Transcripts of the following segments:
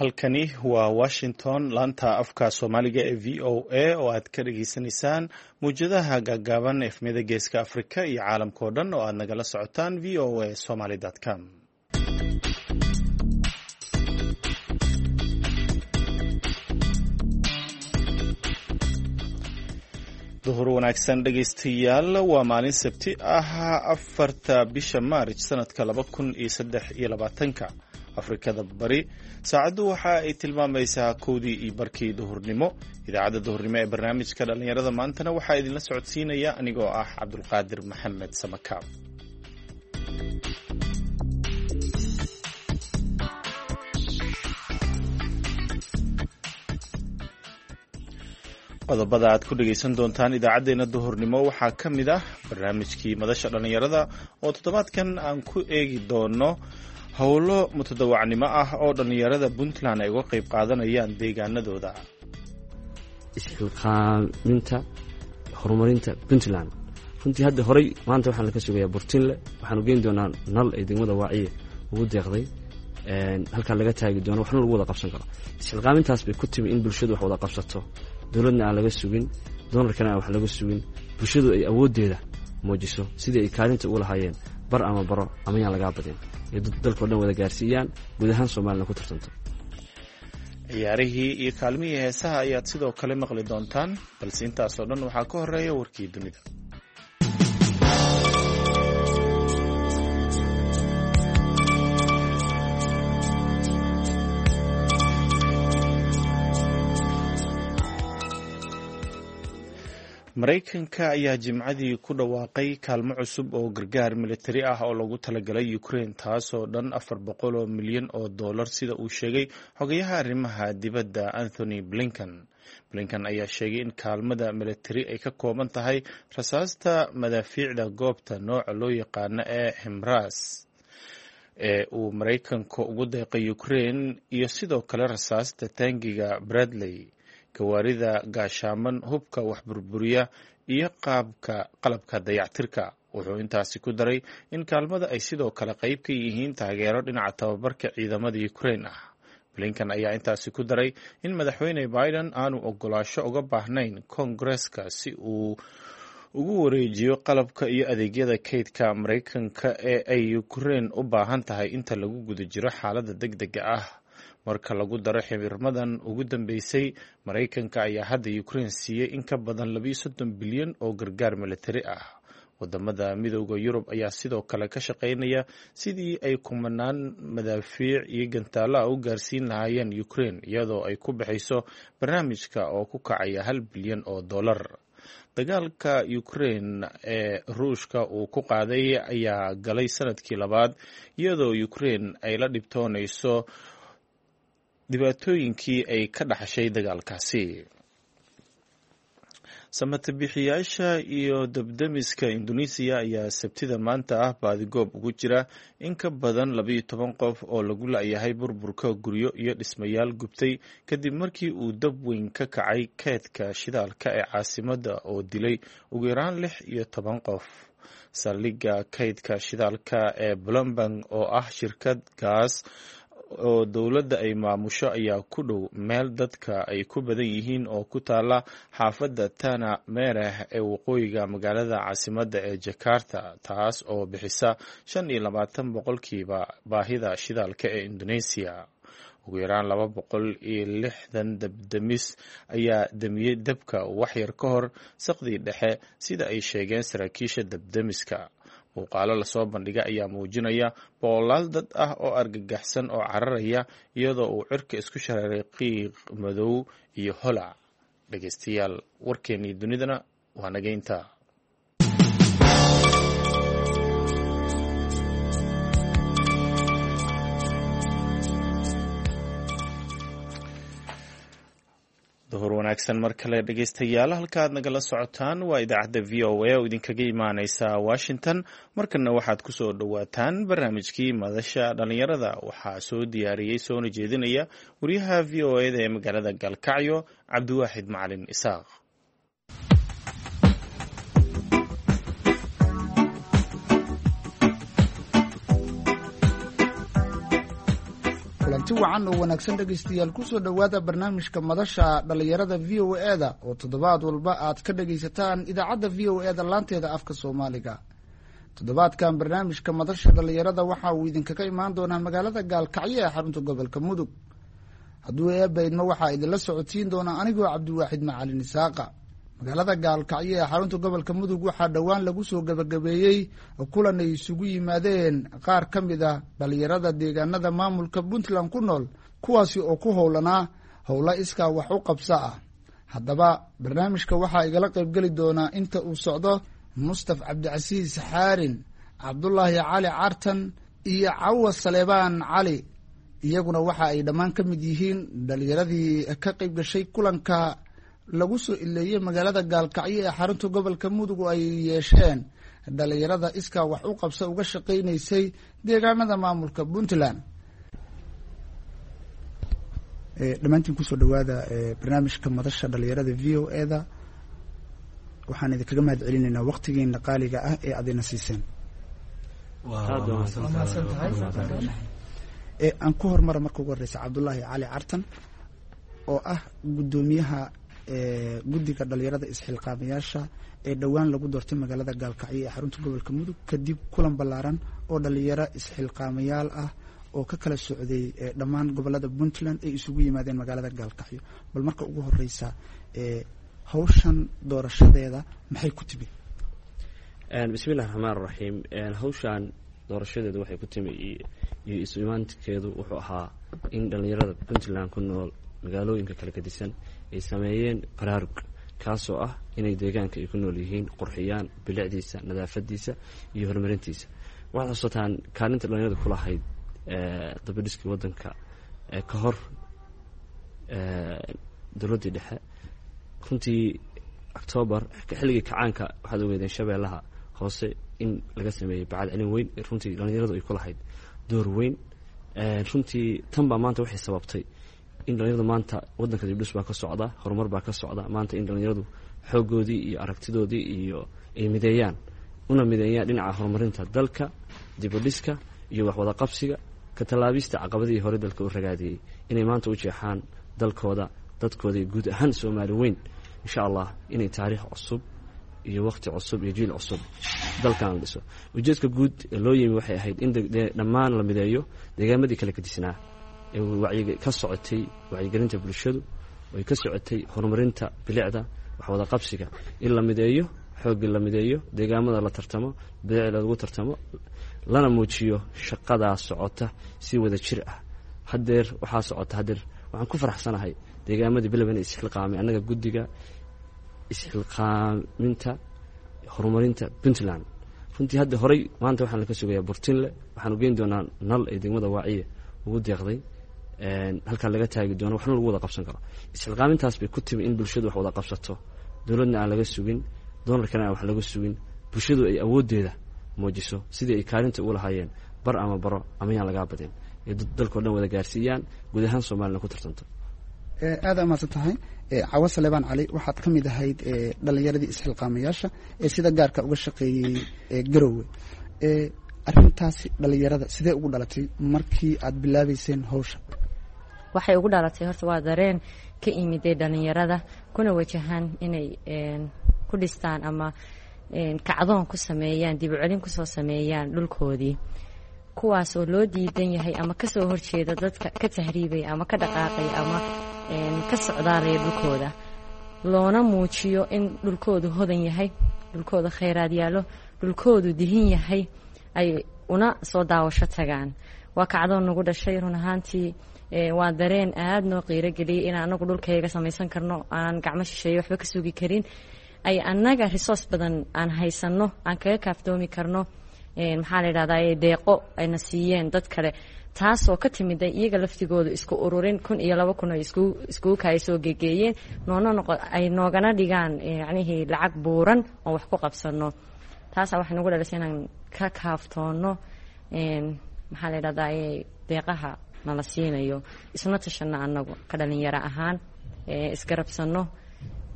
Halkani waa Washington, laanta afka Soomaaliga ee VOA oo aad ka dhageysanaysaan muwjadaha gaagaaban, efmiyada Geeska Afrika iyo caalamka oo dhan oo aad nagala socotaan voasomaly.com. Duhur wanaagsan dhegaystayaal, waa maalin Sabti ah, 4-ta bisha Maarj, sanadka 2023-ka. Afrikada Bari saacaddu waxa ay tilmaamaysaa 1:30 duhurnimo. Idaacadda duhurnimo ee barnaamijka dhallinyarada maantana waxaa idinla socodsiinaya anigoo ah Cabdulqaadir Maxamed Samakaab. Qodobada aad ku dhegaysan doontaan idaacaddeenna duhurnimo waxaa ka mid ah barnaamijkii madasha dhallinyarada oo toddobaadkan aan ku eegi doono howlo mutadawacnimo ah oo dhallinyarada Puntland ay uga qayb qaadanayaan deegaanadooda. Isxilqaaminta horumarinta Puntland runtii hadda horey maanta waxaan laka sugayaa Burtinle. Waxaanu geyn doonaa nal ay degmada Waaciye ugu deeqday, halkaa laga taagi doono, waxna lagu wada qabsan karo. Isxilqaamintaas bay ku timi in bulshadu wax wada qabsato, dowladna aan laga sugin, doonarkana aan wax laga sugin, bulshadu ay awooddeeda muujiso sidii ay kaalinta ugu lahaayeen bar ama baro ama yaan lagaa badin iyo dalkao dhan wada gaarsiiyaan, guud ahaan Soomaalina ku tartanto. Ciyaarihii iyo kaalmihii heesaha ayaad sidoo kale maqli doontaan, balse intaasoo dhan waxaa ka horeeya warkii dunida. Maraykanka ayaa Jimcadii ku dhawaaqay kaalmo cusub oo gargaar militari ah oo lagu talagalay Ukraine, taasoo dhan 400 milyan oo dollar, sida uu sheegay xogayaha arrimaha dibadda Anthony Blinken. Blinken ayaa sheegay in kaalmada militari ay ka kooban tahay rasaasta madaafiicda goobta nooca loo yaqaano ee HIMARS ee uu Maraykanka ugu deeqay Ukraine, iyo sidoo kale rasaasta taangiga Bradley, gawaarida gaashaaman, hubka wax burburiya iyo qaabka qalabka dayactirka. Wuxuu intaasi ku daray in kaalmada ay sidoo kale qayb ka yihiin taageero dhinaca tababarka ciidamada Ukraine ah. Blinken ayaa intaasi ku daray in Madaxweyne Biden aanu ogolaasho uga baahnayn Koongareska si uu ugu wareejiyo qalabka iyo adeegyada kaydka Maraykanka ee ay Ukraine u baahan tahay inta lagu guda jiro xaaladda deg dega ah. Marka lagu daro xirmadan ugu dambeysay, Maraykanka ayaa hadda Ukraine siiyey in ka badan 32 bilyan oo gargaar militari ah. Wadamada Midooda Yurub ayaa sidoo kale ka shaqeynaya sidii ay kumanaan madaafiic iyo gantaalaha u gaarsiin lahaayeen Ukraine, iyadoo ay ku baxayso barnaamijka oo ku kacaya 1 bilyan oo dollar. Dagaalka Ukraine ee Ruushka uu ku qaaday ayaa galay sanadkii labaad, iyadoo Ukraine ay la dhibtoonayso dhibaatooyinkii ay ka dhaxashay dagaalkaasi. Samatabixiyaasha iyo dabdemiska Indonesiya ayaa Sabtida maanta ah baadigoob ugu jira in ka badan 12 qof oo lagu la-yahay burburka guryo iyo dhismayaal gubtay kadib markii uu dab weyn ka kacay keedka shidaalka ee caasimadda oo dilay ugu yaraan 16 qof. Saldhigga kaydka shidaalka ee Plumbang oo ah shirkad gaas oo dowladda ay maamusho ayaa ku dhow meel dadka ay ku badan yihiin oo ku taala xaafadda Tana Mereh ee waqooyiga magaalada caasimadda ee Jakarta, taas oo bixisa 25% baahida shidaalka ee Indonesia. Ugu yaraan 260 dabdemis ayaa damiyey dabka waxyar ka hor saqdii dhexe, sida ay sheegeen saraakiisha dabdemiska. Muuqaalo lasoo bandhiga ayaa muujinaya boqolaal dad ah oo argagaxsan oo cararaya, iyadoo uu cirka isku shareeray qiiq madow iyo holac. Dhegeystayaal, warkeennii dunidana waa nageynta. Duhur wanaagsan mar kale dhegeystayaal, halka aad nagala socotaan waa idaacadda VOA oo idinkaga imaaneysa Washington. Markana waxaad kusoo dhowaataan barnaamijkii madasha dhallinyarada. Waxaa soo diyaariyey soona jeedinaya wariyaha VOA da ee magaalada Gaalkacyo, Cabdiwaaxid Macalin Isaaq. Kulanti Kulanti wacan oo wanaagsan, dhegaystayaal. Kusoo dhowaada barnaamijka Madasha Dhallinyarada VOA-da oo toddobaad walba aad ka dhagaysataan idaacadda VOA-da laanteeda afka Soomaaliga. Toddobaadkan barnaamijka Madasha Dhallinyarada waxa uu idinkaga imaan doonaa magaalada Gaalkacyo ee xarunta gobolka Mudug. Hadduu Eebba idmo, waxaa idinla socodsiin doonaa anigoo Cabdiwaaxid Macalin Isaaqa. Magaalada Gaalkacyo ee xarunta gobolka Mudug waxaa dhowaan lagu soo gebagabeeyey kulan ay isugu yimaadeen qaar ka mid a dhallinyarada deegaanada maamulka Puntland ku nool, kuwaasi oo ku howlanaa howlo iskaa wax u qabso ah. Haddaba barnaamijka waxaa igala qaybgeli doonaa inta uu socdo Mustaf Cabdicasiis Xaarin, Cabdulaahi Cali Cartan iyo Cawa Saleebaan Cali. Iyaguna waxa ay dhammaan ka mid yihiin dhallinyaradii ka qayb gashay kulanka lagu soo ileeyey magaalada Gaalkacyo ee xarunta gobolka Mudug oo ay yeesheen dhallinyarada iskaa wax u qabsa uga shaqaynaysay deegaanada maamulka Puntland. Dhammaantiin kusoo dhawaada barnaamijka Madasha Dhalinyarada VOA-da. Waxaan idinkaga mahad celinaynaa waqtigiina qaaliga ah ee aad ina siiseen. Aan ku hormara marka ugu horeysa Cabdulaahi Cali Cartan oo ah guddoomiyaha guddiga dhalinyarada isxilqaamayaasha ee dhowaan lagu doortay magaalada Gaalkacyo ee xarunta gobolka Mudug, kadib kulan ballaaran oo dhalinyaro isxilqaamayaal ah oo ka kala socday dhammaan gobolada Puntland ay isugu yimaadeen magaalada Gaalkacyo. Bal marka ugu horeysa, hawshan doorashadeeda maxay ku timid? Bismillahi raxmaan raxiim. Hawshan doorashadeedu waxay ku timi iyo isu imaankeedu wuxuu ahaa in dhalinyarada Puntland ku nool magaalooyinka kala gedisan ay sameeyeen baraarug, kaasoo ah inay deegaanka ay ku nool yihiin qurxiyaan, bilicdiisa, nadaafadiisa iyo horumarintiisa. Waxaad xusataan kaalinta dhalinyarada ku lahayd dabadhiskii waddanka ka hor dowladdii dhexe. Runtii Octoobar xilligii kacaanka waxaad ogeedeen Shabeellaha Hoose in laga sameeyey bacad celin weyn. Runtii dhalinyaradu ay ku lahayd door weyn. Runtii tan baa maanta waxay sababtay in dhalinyaradu maanta waddanka dibdhis baa ka socda, horumar baa ka socda. Maanta in dhalinyaradu xooggoodii iyo aragtidoodii iyo ay mideeyaan, una mideeyaan dhinaca horumarinta dalka, dibudhiska iyo waxwada qabsiga, ka tallaabista caqabadihii hore dalka u ragaadiyey, inay maanta u jeexaan dalkooda, dadkooda iyo guud ahaan Soomaali weyn, insha Allah inay taariikh cusub iyo waqti cusub iyo jiil cusub dalkan la dhiso. Ujeedka guud ee loo yimi waxay ahayd in dhammaan la mideeyo deegaamadii kala gedisnaa ee wacyiga ka socotay, wacyigelinta bulshadu ay ka socotay, horumarinta bilicda, waxwada qabsiga, in la mideeyo xooggii, la mideeyo deegaamada, la tartamo, bilicda lagu tartamo, lana muujiyo shaqadaa socota si wada jir ah. Haddeer waxaa socota, haddeer waxaan ku faraxsanahay deegaamadii bilow inay isxilqaamay. Annaga guddiga isxilqaaminta horumarinta Puntland, runtii hadda horey maanta waxaan laka sugayaa Burtinle. Waxaanu geyn doonaa nal ay degmada Waaciye ugu deeqday, halkaa laga taagi doono, waxna lagu wada qabsan karo. Isxilqaamintaas bay ku timi in bulshadu wax wada qabsato, dowladna aan laga sugin, doonarkana aan wax laga sugin, bulshadu ay awooddeeda muujiso sidii ay kaalinta ugu lahaayeen bar ama baro ama yaan lagaa badin ee dalkao dhan wada gaarsiiyaan, guud ahaan Soomaalina ku tartanto. Aada amaadsan tahay. Cawo Saleebaan Cali, waxaad ka mid ahayd dhalinyaradii isxilqaamayaasha ee sida gaarka uga shaqeeyey Garowe. Arrintaasi dhalinyarada sidee ugu dhalatay markii aad bilaabeyseen hawsha? Waxay ugu dhalatay horta waa dareen ka imiday dhalinyarada kuna wajahaan inay ku dhistaan ama kacdoon ku sameeyaan, dib u celin kusoo sameeyaan dhulkoodii, kuwaas oo loo diidan yahay ama kasoo horjeeda dadka ka tahriibaya ama ka dhaqaaqaya ama ka socdaalaya dhulkooda, loona muujiyo in dhulkoodu hodan yahay, dhulkooda khayraad yaallo, dhulkoodu dihin yahay, ay una soo daawasho tagaan. Waa kacdoon nagu dhashay run ahaantii. Waa dareen aada noo qiirogeliyay in anagu dhulkayga samaysan karno, aan gacmo shisheeye waxba ka sugi karin, ay annaga resource badan aan haysanno, aan kaga kaaftoomi karno, maxaa la yidhahdaa, deeqo ayna siiyeen dad kale, taasoo ka timid ay iyaga laftigooda isku ururin 1000 iyo 2000 ay iskugu kaaya soo gegeeyeen, noona noqo ay noogana dhigaan yacnihii lacag buuran oon wax ku qabsanno. Taasaa waxay nagu dhalisay inaan ka kaaftoonno, maxaa la yidhahdaa, deeqaha nala siinayo, isna tashanno annagu ka dhalinyaro ahaan, isgarabsanno,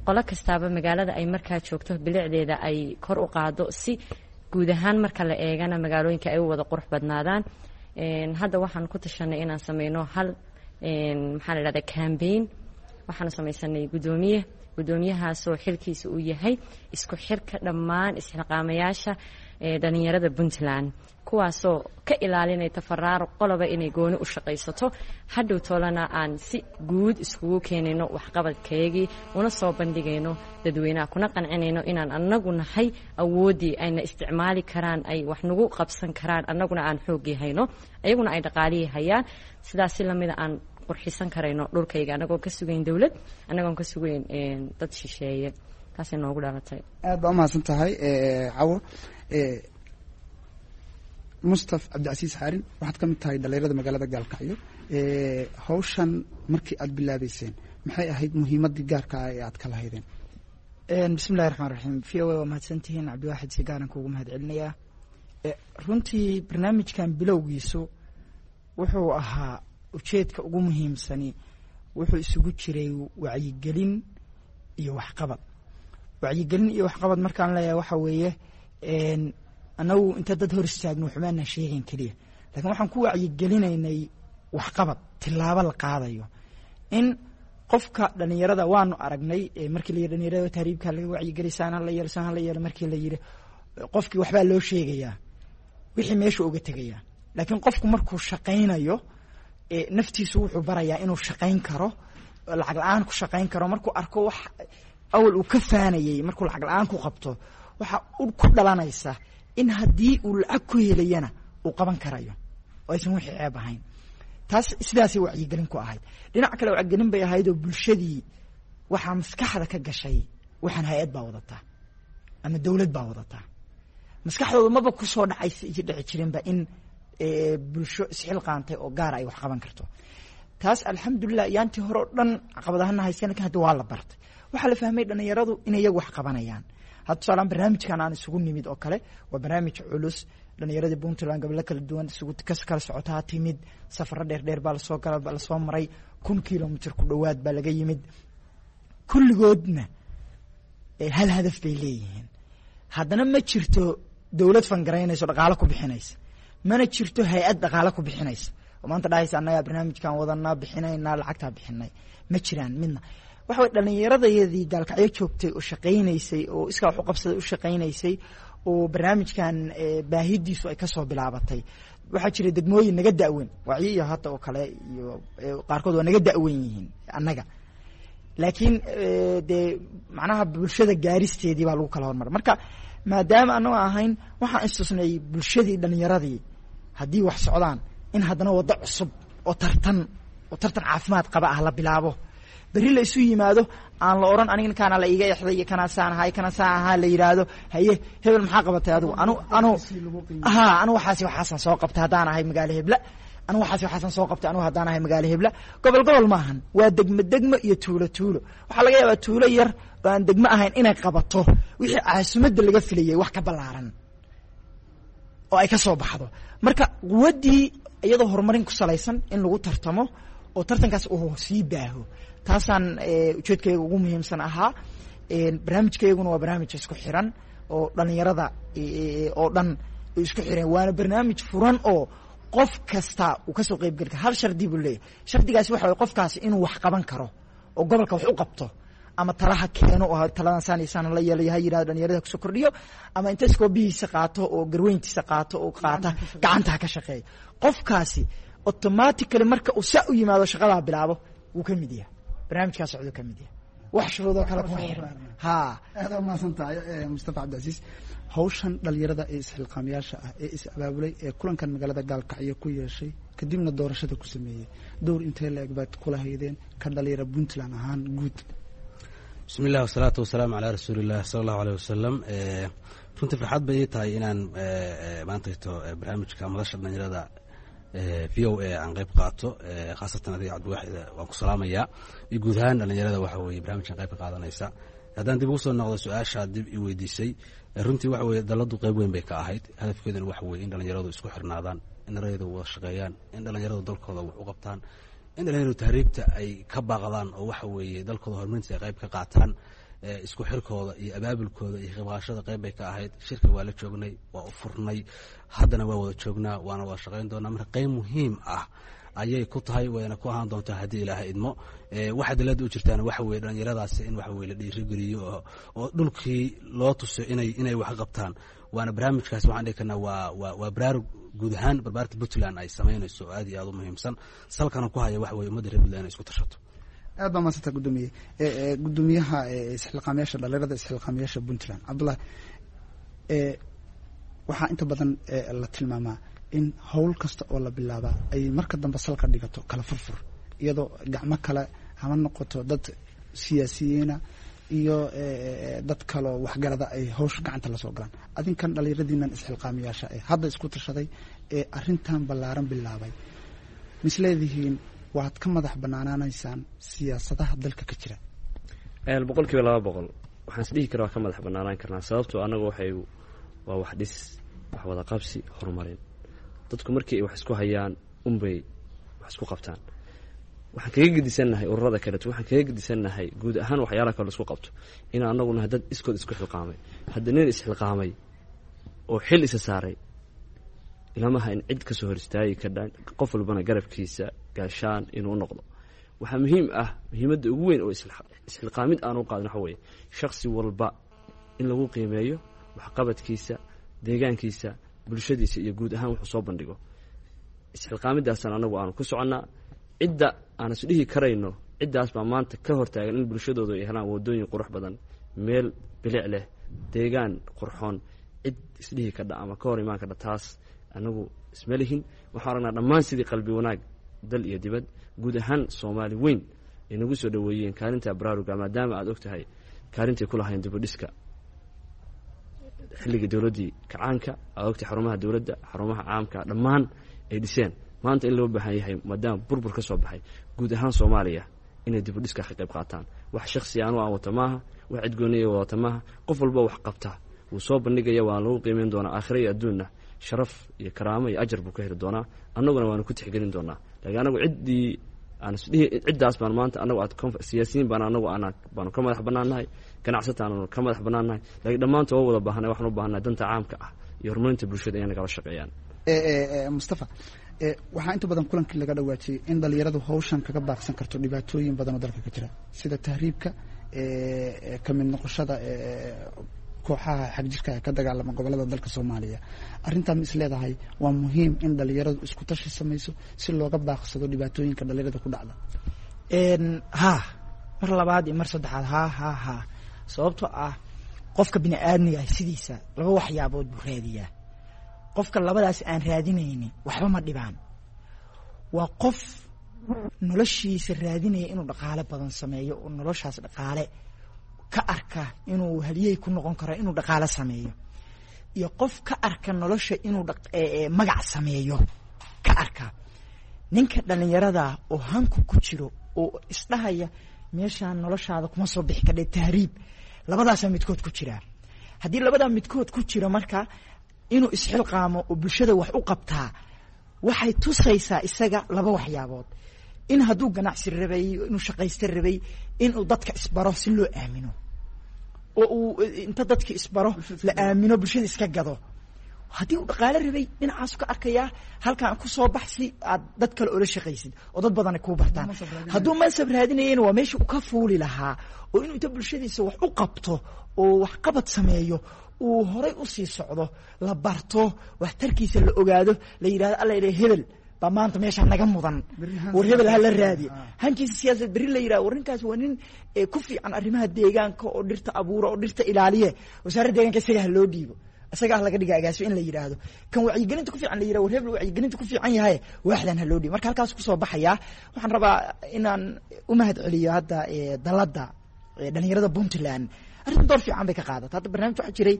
qolo kastaaba magaalada ay markaa joogto bilicdeeda ay kor u qaado, si guud ahaan marka la eegana magaalooyinka ay u wada qurux badnaadaan. Hadda waxaan ku tashanay inaan sameyno hal, maxaa la dhahdaa, campaign. Waxaanu samaysanay guddoomiye, guddoomiyahaasoo xilkiisa uu yahay isku xirka dhammaan isxilqaamayaasha dhalinyarada Puntland, kuwaasoo ka ilaalinaya tafaraaruq, qoloba inay gooni u shaqaysato. Hadhow toolana aan si guud iskugu keenayno waxqabadkeygii, una soo bandhigayno dadweynaha, kuna qancinayno inaan annagu nahay awooddii ayna isticmaali karaan, ay wax nagu qabsan karaan, annaguna aan xooggii hayno, ayaguna ay dhaqaalihii hayaan. Sidaas si lamida aan qurxisan karayno dhulkayga, annagoon ka sugayn dowlad, annagoon ka sugayn dad shisheeye. Taasay noogu dhalatay. Aad baa umahadsan tahay, Cawo. Mustaf Cabdicasiis Xaarin, waxaad ka mid tahay dhalinyarada magaalada Gaalkacyo. Hawshan markii aad bilaabeyseen, maxay ahayd muhiimaddii gaarka ah ee aad ka lahaydeen? Bismillahi raxmaan raxiim. VOA waa mahadsantihiin. Cabdiwaaxid si gaaran kuugu mahad celinayaa. Runtii barnaamijkan bilowgiisu wuxuu ahaa, ujeedka ugu muhiimsani wuxuu isugu jiray wacyigelin iyo waxqabad. Wacyigelin iyo waxqabad markaan leeyahay, waxa weeye annagu inta dad hor istaagno waxbaana sheegayn keliya, lakin waxaan ku wacyigelinaynay waxqabad, tilaabo la qaadayo in qofka dhalinyarada. Waanu aragnay markii la yidhi dhalinyarada tahriibka laga wacyigeliy, saan hala yeelo, saan hala yeelo, markii la yidhi qofkii waxbaa loo sheegayaa, wixii meesha uga tegayaa. Laakiin qofku markuu shaqaynayo, naftiisu wuxuu barayaa inuu shaqayn karo, lacag la-aan ku shaqayn karo. Markuu arko wax awal uu ka faanayey markuu lacag la-aan ku qabto, waxa ku dhalanaysa in haddii uu lacag ku helayana uu qaban karayo oo aysan wixii ceeb ahayn. Taas sidaasay wacyigelin ku ahayd. Dhinac kale wacyigelin bay ahayd oo bulshadii waxaa maskaxda ka gashay waxaan hay-ad baa wadataa ama dowlad baa wadataa. Maskaxdooda maba kusoo dhacay dhici jirinba in bulsho isxilqaantay oo gaara ay wax qaban karto. Taas alxamdulilah, yaantii hore oo dhan caqabadahana haysteen, lakin hadda waa la bartay. Waxaa la fahmay dhalinyaradu inay iyagu wax qabanayaan. Hadda tusaalaan barnaamijkan aan isugu nimid oo kale waa barnaamij culus. Dhalinyaradii Puntland gobollo kala duwan isugu kas kala socotaa timid, safaro dheer dheer baa lasoo gala, lasoo maray, 1000 kilomitr ku dhowaad baa laga yimid. Kulligoodna hal hadaf bay leeyihiin. Haddana ma jirto dowlad fangaraynayso, dhaqaalo ku bixinaysa, mana jirto hay-ad dhaqaalo ku bixinaysa oo maanta dhahaysa annagaa barnaamijkan wadanaa, bixinaynaa, lacagtaa bixinay. Ma jiraan midna. Waxa way dhalinyaradayadii Gaalkacyo joogtay oo shaqaynaysay oo iskaa wax u qabsaday u shaqaynaysay oo barnaamijkan baahidiisu ay kasoo bilaabatay. Waxaa jira degmooyin naga da'weyn, Wacyi iyo hadda oo kale iyo qaarkood waa naga da'wen yihiin annaga, laakiin dee macnaha bulshada gaaristeedii baa lagu kala hormara. Marka maadaama anagoo ahayn, waxaan istusnay bulshadii dhalinyaradii haddii wax socdaan in haddana waddo cusub oo tartan, oo tartan caafimaad qaba ah la bilaabo, berri la isu yimaado, aan la oran aniga kaana la iiga exday iyo kanaa saan ahay, kana saan ahaa, la yidhaahdo haye hebel, maxaa qabatay adigu? Anu ha anu waxaasi waxaasaan soo qabtay haddaan ahay magaalo hebla, anu waxaasi waxaasaan soo qabtay anu haddaan ahay magaalo hebla. Gobol gobol maahan, waa degmo degmo iyo tuulo tuulo. Waxaa laga yaabaa tuulo yar oo aan degmo ahayn inay qabato wixii caasimadda laga filayay wax ka ballaaran oo ay ka soo baxdo. Marka quwaddii iyadoo horumarin ku salaysan in lagu tartamo oo tartankaas uu sii baaho, taasaan ujeedkayga ugu muhiimsan ahaa. Barnaamijkayguna waa barnaamij isku xiran oo dhalinyarada oo dhan isku xiran, waana barnaamij furan oo qof kasta uu kasoo qeyb geli karo. Hal shardi buu leeyahay. Shardigaasi waxa waye qofkaasi inuu wax qaban karo oo gobolka wax u qabto, ama talaha keeno oo taladan saan iyo saan la yeelayo ha yidhahdo, dhalinyarada kusoo kordhiyo, ama inta iskoobihiisa qaato oo garweyntiisa qaato oo qaata gacanta ha ka shaqeeyo. Qofkaasi automatically marka uu saa u yimaado, shaqadaa bilaabo, wuu ka mid yahay barnaamijkaa socduu ka mid yahay. Wax shuruudoo kale kuma xiran ha. Aad umahadsan tahay, Mustafa Cabdicasiis. Hawshan dhalinyarada ee isxilqaamayaasha ah ee is abaabulay ee kulankan magaalada Gaalkacyo ku yeeshay, kadibna doorashada ku sameeyey, dowr intee la eg baad kula haydeen ka dhalinyara Puntland ahaan guud? Bismi illah, wasalaatu wasalaamu calaa rasuuliillah sala allahu aleyh wasalam. Runtii farxad bay ii tahay inaan maantayto barnaamijka madasha dhalinyarada VOA aan qayb qaato, khaasatan adiga Cabdiwaaxid waan ku salaamayaa iyo guud ahaan dhalinyarada waxa weye barnaamijkan qayb ka qaadanaysa. Haddaan dib ugu soo noqdo su-aasha dib i weydiisay, runtii waxa weye dalladdu qayb weyn bay ka ahayd. Hadafkeeduna waxa weye in dhalinyaradu isku xirnaadaan, in dhalinyaradu wada shaqeeyaan, in dhalinyaradu dalkooda wax u qabtaan, in dhalinyaradu tahriibta ay ka baaqdaan oo waxa weeye dalkooda horumarinta ay qayb ka qaataan. Isku xirkooda iyo abaabulkooda iyo qaybqaadashada qayb bay ka ahayd. Shirka waa la joognay, waa u furnay, haddana waa wada joognaa, waana wada shaqayn doonaa. Marka qayb muhiim ah ayay ku tahay, wayna ku ahaan doontaa haddii Ilaahay idmo. Waxa dalada u jirtaana waxa weye dhalinyaradaasi in waxa weye la dhiirigeliyo oo dhulkii loo tuso inay wax qabtaan. Waana barnaamijkaas waxaan dhihi karnaa waa baraarug guud ahaan barbaarta Puntland ay samaynayso oo aad iyo aad u muhiimsan, salkana ku haya waxa weye ummadda reer Puntland inay isku tashato. Aad baa mahadsanta, gudoomiye. Gudoomiyaha isxilqaamayaasha dhalinyarada, isxilqaamayaasha Puntland, Cabdullahi, waxaa inta badan la tilmaamaa in howl kasta oo la bilaabaa ay marka dambe salka dhigato kala furfur, iyadoo gacmo kale hama noqoto, dad siyaasiyiina iyo dad kaloo waxgarada ay hawsha gacanta lasoo galaan. Adinkan dhalinyaradiinan isxilqaamayaasha ee hadda isku tashaday ee arrintan ballaaran bilaabay, misleedihiin waad ka madax banaanaanaysaan siyaasadaha dalka ka jira? 200%. Waxaan isdhihi karaa waa ka madax banaanaan karnaa, sababtoo annaga waxay waa wax dhis, wax wada qabsi, horumarin. Dadku markii ay wax isku hayaan unbay wax isku qabtaan. Waxaan kaga gedisannahay ururada kaleeto, waxaan kaga gedisannahay guud ahaan waxyaalaha kale isku qabto, inaan anagu nahay dad iskood isku xilqaamay. Hadda nin isxilqaamay oo xil isa saaray ilamaha in cid kasoo hor istaagi kardhaan, qof walbana garabkiisa gaashaan inuu noqdo. Waxaa muhiim ah, muhiimadda ugu weyn oo isxilqaamid aan u qaadin waxa weeye shaksi walba in lagu qiimeeyo waxqabadkiisa, deegaankiisa, bulshadiisa iyo guud ahaan wuxuu soo bandhigo. Isxilqaamidaasaan anagu aanu ku soconnaa. Cidda aan isdhihi karayno ciddaas baa maanta ka hortaagan in bulshadoodu ay helaan waddooyin qurux badan, meel bilic leh, deegaan qurxoon, cid isdhihi kadha ama ka hor imaan kadha, taas anagu isma lihin. Waxaan aragnaa dhammaan sidii qalbi wanaag dal iyo dibad, guud ahaan Soomaali weyn ay nagu soo dhoweeyeen kaalinta baraaruga, maadaama aad og tahay kaalintay ku lahayn dibudhiska xilligii dowladdii kacaanka. Aad ogtahay xarumaha dowladda, xarumaha caamka dhammaan ay dhiseen. Maanta in loo baahan yahay, maadaama burbur ka soo baxay guud ahaan Soomaaliya, inay dibudhiska ka qayb qaataan. Wax shaksi anu aan wata maaha, wax cidgooniya wadata maaha. Qof walba wax qabta wuu soo bandhigaya, waana lagu qiimeyn doonaa aakhira iyo adduunna, sharaf iyo karaamo iyo ajar buu ka heli doonaa, annaguna waanu ku tixgelin doonaa. Laakiin anagu ciddii aan isdhihi ciddaas baan maanta anagu aad siyaasiyiin baan anagu ana baanu ka madax bannaannahay, ganacsataanu ka madax bannaannahay, laakiin dhammaanta waa wada baahanay. Waxaan u baahannahay danta caamka ah iyo horumarinta bulshada inay nagala shaqeeyaan. Mustafa, waxaa inta badan kulankii laga dhawaajiyey in dhalinyaradu hawshan kaga baaqsan karto dhibaatooyin badan oo dalka ka jira, sida tahriibka, ka mid noqoshada kooxaha xagjirka ka dagaalama gobolada dalka Soomaaliya. Arrintaa ma is leedahay waa muhiim in dhalinyaradu isku tashi samayso si looga baaqsado dhibaatooyinka dhalinyarada ku dhacda? Ha, mar labaad iyo mar saddexaad, ha ha ha. Sababtoo ah qofka bini aadmiga ah sidiisa laba waxyaabood buu raadiyaa. Qofka labadaas aan raadinaynin waxba ma dhibaan. Waa qof noloshiisa raadinaya inuu dhaqaale badan sameeyo, oo noloshaas dhaqaale ka arka inuu haliyey ku noqon karo inuu dhaqaale sameeyo, iyo qof ka arka nolosha inuu magac sameeyo ka arka. Ninka dhalinyarada oo hanku ku jiro oo isdhahaya meeshaan noloshaada kuma soo bixi kadhe tahriib, labadaasaa midkood ku jiraa. Haddii labadaa midkood ku jiro, marka inuu isxilqaamo oo bulshada wax u qabtaa waxay tusaysaa isaga laba waxyaabood: in hadduu ganacsi rabay, inuu shaqaysta rabay, inuu dadka isbaro si loo aamino, oo uu inta dadka isbaro la aamino, bulshada iska gado. Haddii uu dhaqaale rabay, dhinacaasu ka arkayaa halkaan ku soo bax si aad dad kale ula shaqaysid oo dad badan ay kuu bartaan. Hadduu mansab raadinayana, waa meesha uu ka fuuli lahaa, oo inuu inta bulshadiisa wax u qabto oo waxqabad sameeyo, uu horay usii socdo, la barto waxtarkiisa, la ogaado, la yidhahdo alla ila hebel baa maanta meeshaa naga mudan, war hebel hala raadiyo, hankiisa siyaasaed berri la yidhahdo war ninkaas waa nin ku fiican arrimaha deegaanka oo dhirta abuura oo dhirta ilaaliye, wasaaradda deegaanka isaga ha loo dhiibo, isaga ah laga dhiga agaasio in la yidhaahdo. Kan wacyigelinta ku fiican la yidhahdo war hebel wacyigelinta ku fiican yahay, waaxdan ha loo dhiibo. Marka halkaas kusoo baxayaa, waxaan rabaa inaan u mahad celiyo hadda dalladda dhalinyarada Puntland. Arrintan door fiican bay ka qaadata. Hadda barnaamij waxaa jiray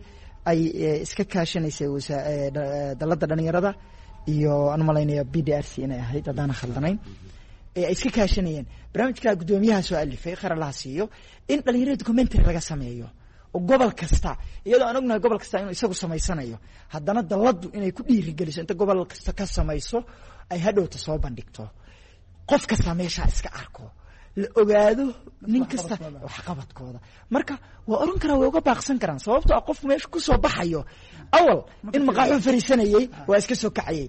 ay iska kaashanaysay dalladda dhalinyarada iyo aan umalaynaya BDRC inay ahayd haddaana khaldanayn, ay iska kaashanayeen. Barnaamijka guddoomiyaha soo alifay, khayr Allaha siiyo, in dhalinyarada documentary laga sameeyo oo gobol kasta, iyadoo aan ognahay gobol kasta inuu isagu samaysanayo, haddana dalladdu inay ku dhiirigeliso inta gobol kasta ka samayso ay hadhowta soo bandhigto, qof kasta meeshaa iska arko. La ogaado nin kasta waxqabadkooda. Marka waa oran karaa, way uga baaqsan karaan, sababtoo ah qofku meesha kusoo baxayo awal in maqaaxuu fariisanayey, waa iska soo kacayey,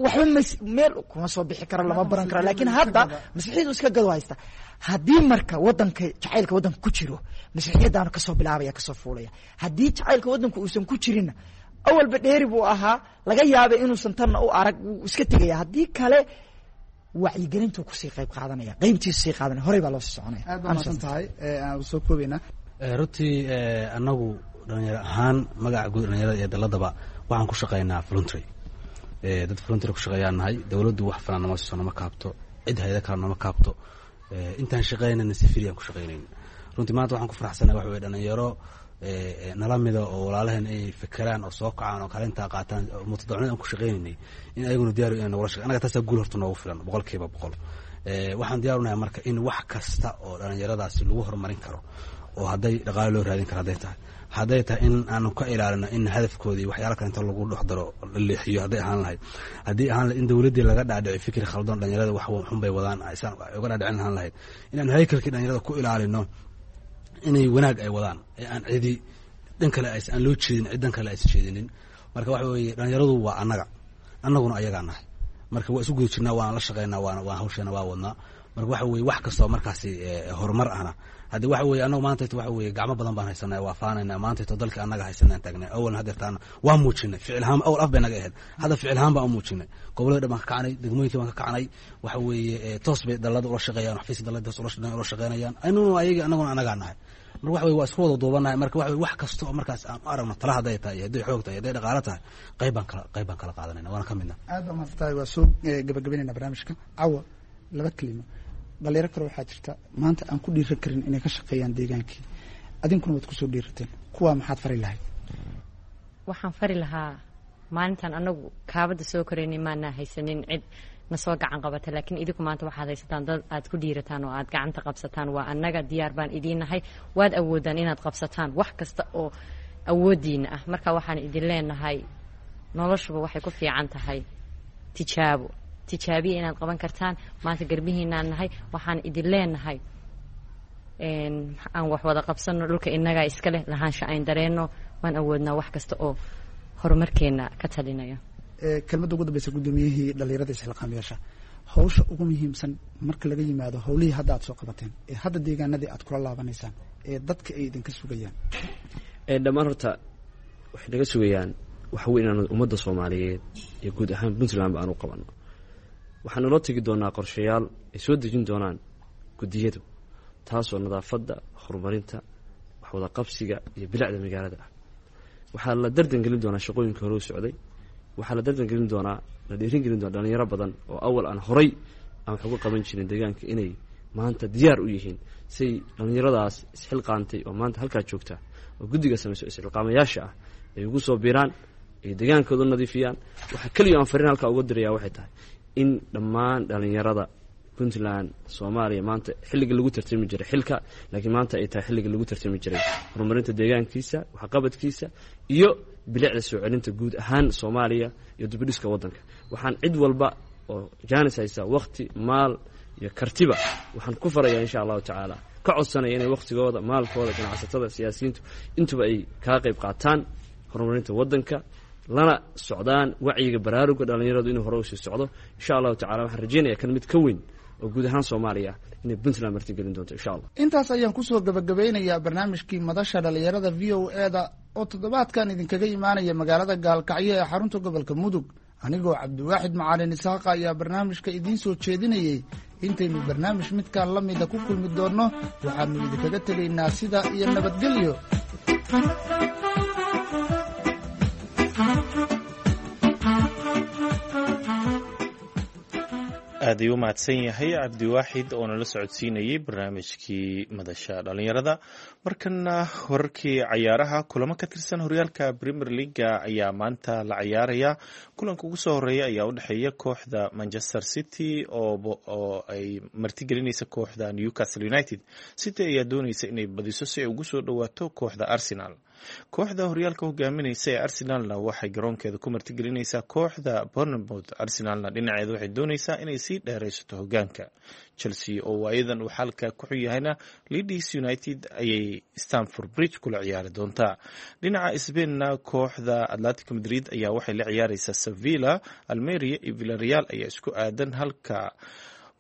waxba meel kuma soo bixi karo, lama baran karo. Laakiin hadda masiixiyadu iska gado haysta. Haddii marka wadanka jacaylka waddanka ku jiro, masiixiyadaanu kasoo bilaabaya, kasoo fuulaya. Haddii jacaylka waddanka uusan ku jirinna, awalba dheeri buu ahaa, laga yaabay inuusan tanna u arag, wuu iska tegaya. Haddii kale wacyigelintuu kusii qayb qaadanaya, qaybtiisu sii qaadanaya, horey baa loo sii soconaya. Aad baa mahadsan tahay, aan soo koobaynaa. Runtii annagu dhalinyaro ahaan, magaca guud dhalinyarada iyo daladaba, waxaan ku shaqaynaa voluntary. Dad voluntary ku shaqeeyaan nahay. Dowladdu wax filan nama siiso, nama kaabto, cid hayada kale nama kaabto. Intaan shaqaynayna si free aan ku shaqaynayn. Runtii maanta waxaan ku faraxsanahay waxa weye dhalinyaro nala mida oo walaalaheen ay fekeraan oo soo kacaan oo kaalintaa qaataan oo mutadawicnida aan ku shaqaynaynay in ayaguna diyaar inay nagula shaqeyn. Annaga taasaa guul horta noogu filan 100%. Waxaan diyaarunahay marka in wax kasta oo dhalinyaradaasi lagu horumarin karo, oo hadday dhaqaale loo raadin karo, hadday tahay in aanu ka ilaalino in hadafkoodii waxyaala kale inta lagu dhex daro la leexiyo, hadday ahaan lahayd, haddii ahaan lahayd in dowladdii laga dhaadhici fikri khaldan, dhalinyarada wax xun bay wadaan aysan uga dhaadhicin lahaan lahayd, inaanu haykalkii dhalinyarada ku ilaalino inay wanaag ay wadaan ee aan cidi dhan kale aan loo jeedin, cid dan kale aysan jeedinin. Marka waxa weeye dhalinyaradu waa annaga, annaguna ayagaa nahay. Marka waa isu guda jirnaa, waana la shaqeynaa, waana waa hawsheena waa wadnaa. Marka waxa weye wax kastoo markaasi horumar ahna, haddi waxa weye annagu maanta waxa weye gacmo badan baan haysanaa, waa faanayna maanta dalka annaga haysanaan taagnay. Awalna hadeertaana waa muujinay ficil ahaan, awal af bay naga ahayd, hadda ficil ahaan baan u muujinay. Gobolada dhan baan ka kacnay, degmooyinkii baan ka kacnay. Waxa weeye toos bay dalada ula shaqeeyaan, xafiiska dalada toos ula shaqeynayaan, anaguna ayaga, annaguna annagaa nahay. Marka waxa weye waa isku wada duubanahay. Marka waxa weye wax kasta oo markaas aan u aragno tala, hadday tahay iyo hadday xoog tahay, hadday dhaqaalo tahay, qayb baan kala qaadanayna, waana ka midna. Aad baa mahadsan tahay. Waa soo gabagabaynayna barnaamijka. Cawa, laba kelimo. Dhalinyaro kale waxaa jirta maanta aan ku dhiiran karin inay ka shaqeeyaan deegaankii, adinkuna waad kusoo dhiirateen. Kuwaa maxaad fari lahayd? Waxaan fari lahaa, maalintan anagu kaabada soo koraynay maanaa haysanin cid na soo gacan qabata, laakiin idinku maanta waxaad haysataan dad aad ku dhiirataan oo aad gacanta qabsataan. Waa annaga, diyaar baan idiin nahay. Waad awoodaan inaad qabsataan wax kasta oo awooddiina ah. Marka waxaan idin leenahay, noloshuba waxay ku fiican tahay tijaabo, tijaabiya inaad qaban kartaan. Maanta garbihiinaan nahay. Waxaan idin leenahay aan wax wada qabsano, dhulka innagaa iska leh, lahaansha ayn dareenno. Waan awoodnaa wax kasta oo horumarkeena ka talinaya. Kelmadda ugu dambeysa, guddoomiyihii dhalinyarada isxilqaamayaasha, hawsha ugu muhiimsan marka laga yimaado howlihii hadda aad soo qabateen ee hadda deegaanadii aad kula laabanaysaan ee dadka ay idinka sugayaan? Dhammaan horta waxay naga sugayaan waxa wey inaan ummadda Soomaaliyeed iyo guud ahaan Puntland ba aan u qabano. Waxaan naloo tegi doonaa qorshayaal ay soo dejin doonaan guddiyadu, taasoo nadaafadda, horumarinta, waxwada qabsiga iyo bilicda magaalada ah. Waxaa la dardan gelin doonaa shaqooyinka hore u socday. Waxaa la dardan gelin doonaa, la dhiirin gelin doonaa dhalinyaro badan oo awal aan horay aan wax uga qaban jirin deegaanka inay maanta diyaar u yihiin, say dhalinyaradaas isxilqaantay oo maanta halkaa joogta oo guddiga samayso isxilqaamayaasha ah ay ugu soo biiraan, ay deegaankooda nadiifiyaan. Waxaa keliya aan fariin halkaa uga dirayaa waxay tahay in dhammaan dhalinyarada Puntland, Soomaaliya, maanta xilliga lagu tartami jiray xilka, laakiin maanta ay tahay xilliga lagu tartami jiray horumarinta deegaankiisa, waxqabadkiisa iyo bilicda soo celinta guud ahaan Soomaaliya iyo dibidhiska waddanka. Waxaan cid walba oo jaanis haysa, wakti, maal iyo kartiba, waxaan ku farayaa insha Allahu tacaala, ka codsanaya inay wakhtigooda, maalkooda, ganacsatada, siyaasiyiintu intuba ay kaa qayb qaataan horumarinta waddanka, lana socdaan wacyiga baraaruga dhalinyaradu inuu hore usii socdo insha Allahu tacala. Waxaan rajeynaya kan mid ka weyn oo guud ahaan Soomaaliya inay Puntland martigelin doonto insha Allah. Intaas ayaan kusoo gabagabeynayaa barnaamijkii madasha dhalinyarada VOA-da oo toddobaadkan idinkaga imaanaya magaalada Gaalkacyo ee xarunta gobolka Mudug. Anigoo Cabdiwaaxid Macalin Isaaqa ayaa barnaamijka idiin soo jeedinayey. Intaynu barnaamij midkaan la mida ku kulmi doonno, waxaanu idinkaga tegaynaa sida iyo nabadgelyo. Aad ayuu u mahadsan yahay Cabdiwaaxid oo nala socodsiinayey barnaamijkii madasha dhalinyarada. Markana wararkii cayaaraha. Kulamo ka tirsan horyaalka Premier Leaga ayaa maanta la cayaaraya. Kulanka ugu soo horeeya ayaa u dhexeeya kooxda Manchester City oo ay martigelinaysa kooxda Newcastle United. City ayaa dooneysa inay badiso si ay ugu soo dhowaato kooxda Arsenal. Kooxda horyaalka hogaaminaysa ee Arsenalna waxay garoonkeeda ku martigelinaysaa kooxda Bournemouth. Arsenalna dhinaceeda waxay doonaysaa inay sii dheeraysato hogaanka. Chelsea oo waayadan uu xalka ku xun yahayna Leeds United ayay Stamford Bridge kula ciyaari doontaa. Dhinaca Spainna kooxda Atletico Madrid ayaa waxay la ciyaareysaa Sevilla. Almeria iyo Villarreal ayaa isku aadan, halka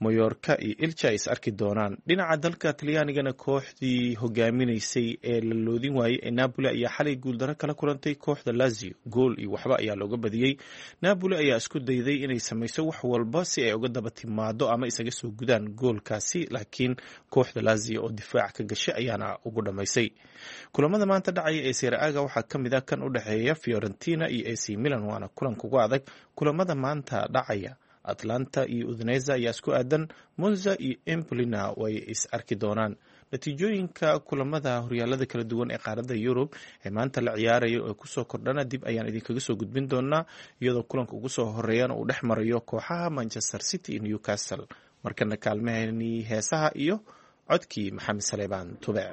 Mayorka iyo Ilcha ay is arki doonaan. Dhinaca dalka Talyaanigana kooxdii hogaaminaysay ee la loodin waayey ee Napoli ayaa xalay guuldaro kala kulantay kooxda Lazio. 1-0 ayaa looga badiyey. Napoli ayaa isku dayday inay samayso wax walba si ay uga daba timaado ama isaga soo gudaan goolkaasi, laakiin kooxda Lazio oo difaac ka gashay ayaana ugu dhamaysay. Kulamada maanta dhacaya ee Serie A-ga waxaa ka mid ah kan u dhexeeya Fiorentina iyo AC Milan, waana kulanka ugu adag kulamada maanta dhacaya. Atlanta iyo Udinese ayaa isku aadan, Monza iyo Empolina way is arki doonaan. Natiijooyinka kulamada horyaalada kala duwan ee qaaradda Yurub ee maanta la ciyaarayo ee kusoo kordhana dib ayaan idinkaga soo gudbin doonaa, iyadoo kulanka ugu soo horeeyana uu dhex marayo kooxaha Manchester City iyo Newcastle. Markana kaalmaheenii heesaha iyo codkii Maxamed Saleebaan Tube.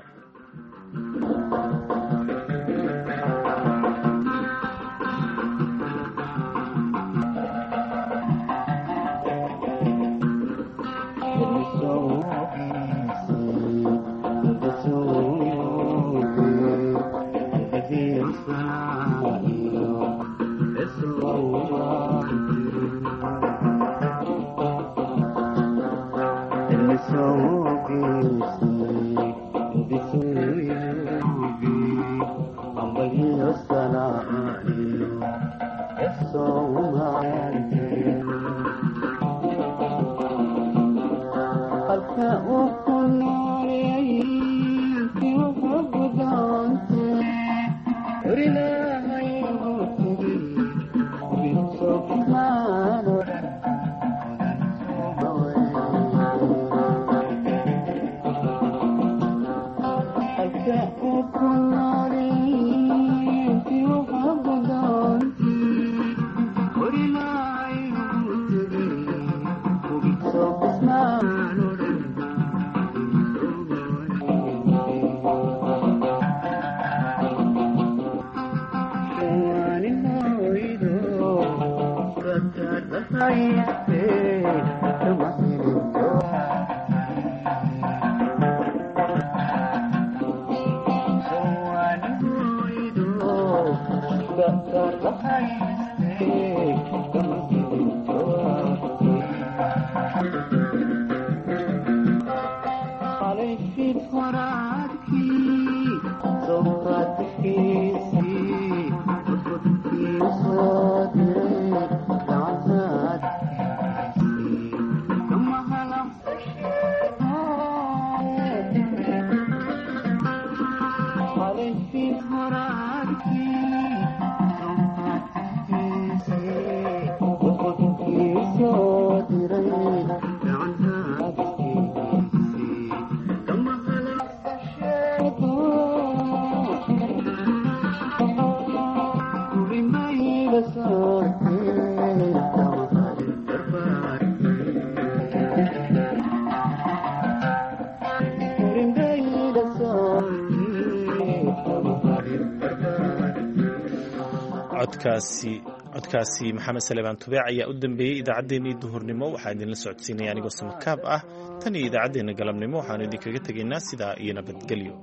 Codkaasi Maxamed Saleebaan Tubeec ayaa u dambeeyey idaacaddeenii duhurnimo. Waxaa idinla socodsiinaya anigoo samakaab ah. Tan iyo idaacaddeenna galabnimo waxaanu idinkaga tegaynaa sidaa iyo nabadgelyo.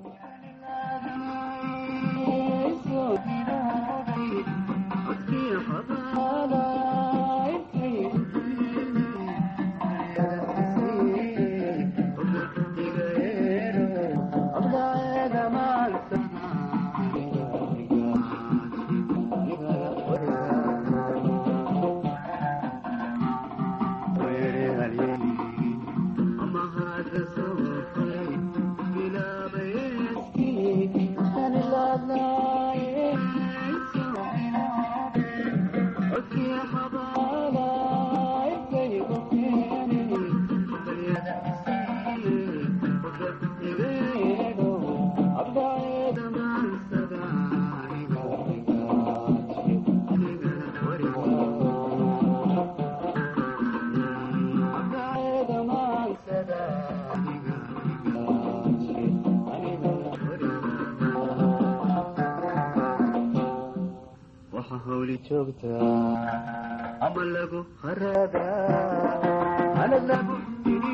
Ama Joogtaa ama lagu haraadaa.